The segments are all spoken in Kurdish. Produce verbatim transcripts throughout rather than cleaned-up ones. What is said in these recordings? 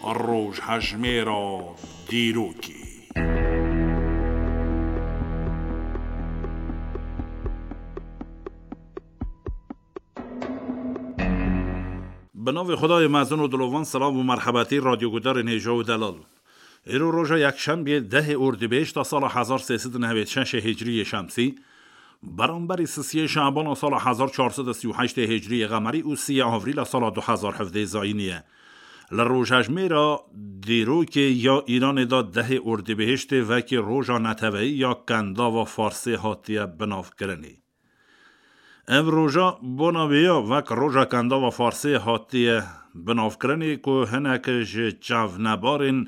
Rojhejmêra dîrokê. Bi navê Xwedayê mezin û dilovan, silav û merhebetî radyogudarên hêja û delal. Îro roja yekşembiyê dehê Ordîbehişta sala hezar sê sed û newêd şeşê hicriyê şemsî, beramberî sisiyê Şabana sala hezar çar sed û sî û heştê hicriyê qemerî û siyê Avrîla sala du hezar hevdeh zayînî ye. Li rojhejmêra dîrokê ya Îranê de dehê Ordîbehiştê wekî roja neteweyî ya Kendava Farsê hatiye binavkirinê. Ev roja bona vê ya wek roja Kendava Farsê hatiye binavkirinê ku hinek ji çavnebarên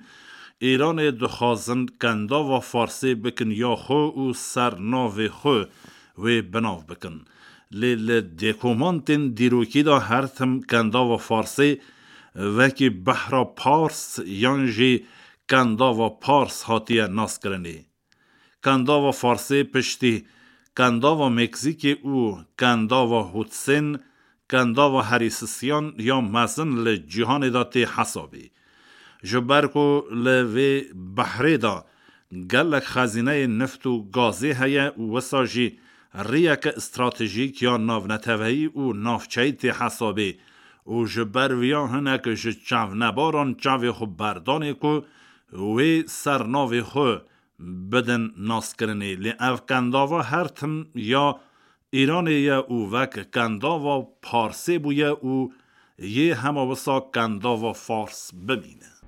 Îranê dixwazin Kendava Farsê bikin ya xwe û ser navê xwe wê binav bikin. Lê li dêkomantên dîrokî de her tim Kendava Farsê wekî Behra Pars yan jî Kendava Pars hatiye naskirinê. Kendava Farsê piştî Kendava Meksîkê û Kendava Hudsen, Kendava herî sisiyan ya mezin li cîhanê de tê hesabê. Ji ber ku li vê behrê de gelek xezîneyê nift û gazê heye û wisa jî riyeke stratejîk ya navneteweyî û navçeyî tê hesabê û ji ber viya hinek ji çavnebaran çavê xwe berdanê ku wê ser navê xwe bidin naskirinê. Lê ev Kendava her tim ya Îranê ye û wek Kendava Parsê bûye û yê hema wisa Kendava Fars bimîne.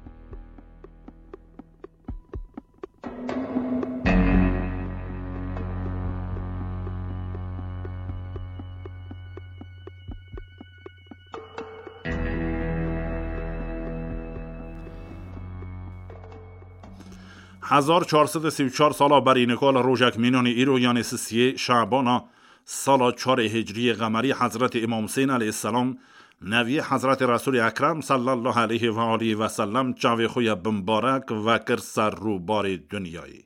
Hezar çar sed û sî û çar sala berî nika li rojek mînanî îro, yanê sisiyê Şabana sala çarê hicriyê qemerî, Hezretî Îmam Husên aleyhisselam, neviyê Hezretî Resûlê Ekrem sallallahu aleyhi ve aleyhi ve sellem, çavê xwe ya bimbarek vekir ser rûbarê dinyayê.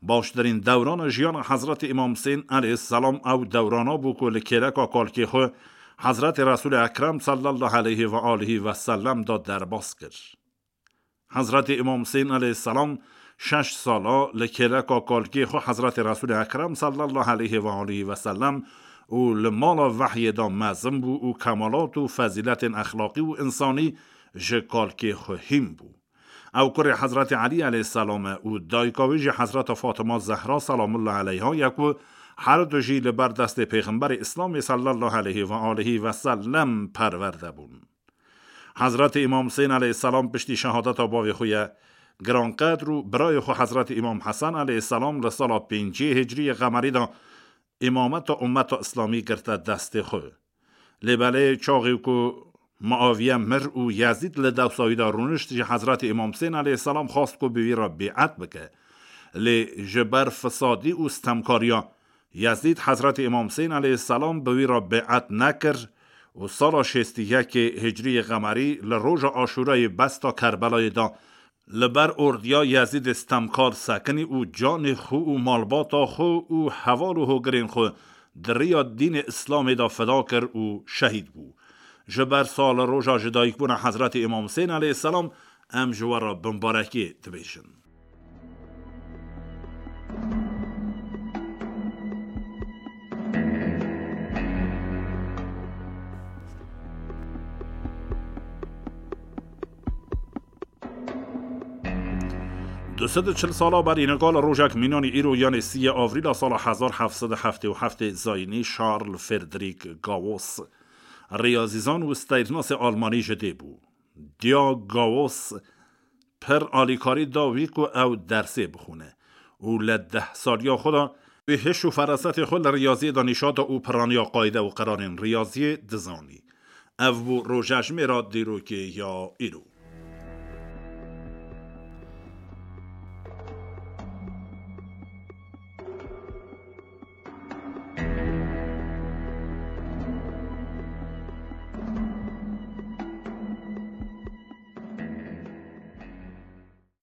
Baştirîn dewrana jiyana Hezretî Îmam Husên aleyhisselam ew dewrana bû ku li kêleka kalkê xwe Hezretî Resûlê Ekrem sallallahu aleyhi ve aleyhi ve sellem da derbas kir. Hezretî Îmam Husên aleyhisselam şeş sala li kêleka kalkê xwe Hezretî Resûlê Ekrem sallallahu aleyhi ve aleyhi ve sellem û li mala vehyê de mezin bû û kemalat û fezîletên exlaqî û însanî ji kalkê xwe hîn bû. Ew kurê Hezretî Elî aleyhisselam e û dayika wî jî Hezreta Fatima Zehra selamullah aleyha ye ku her du jî li ber destê Pêxemberê Îslamê sallallahu aleyhi ve aleyhi ve sellem perwerde bûn. Hezretî Îmam Husên aleyhisselam piştî şehadeta bavê xwe ye giranqedr û birayê xwe Hezretî Îmam Hesen aleyhisselam li sala pêncî hicriyê qemerî de îmameta ummeta Îslamî girte destê xwe. Lê belê çaxê ku Muaviye mir û Yezîd li dewsa wî de rûnişt, ji Hezretî Îmam Husên aleyhisselam xwast ku bi wî re bê'et bike. Lê ji ber fisadî û stemkariya Yezîd, Hezretî Îmam Husên aleyhisselam bi wî re bê'et nekir û sala şêstî yekê hicriyê qemerî li roja Aşûrayê besta Kerbelayê de li ber ordiya Yezîdê stemkar sekinî û canê xwe û malbata xwe û heval û hogirên xwe di riya dînê Îslamê de feda kir û şehîd bû. Ji ber sal roja ji dayikbûna Hezretî Îmam Husên aleyhisselam em ji we re bimbarekê dibêjin. Du sed û çil sala berî nika li rojek mînanî îro, yanê siyê Avrîla sala hezar heft sed û heftê û heftê zayînî, Charles Frederick Gauss, riyazîzan û steyrnasê almanî ji dê bû. Diya Gauss pir alîkarî da wî ku ew dersê bixwîne û li deh saliya xwe de wî hiş û ferasetê xwe li riyaziyê de nîşa da û piraniya qayde û qerarên riyaziyê dizanî. Ev bû rojejmêra dîrokê ya îro.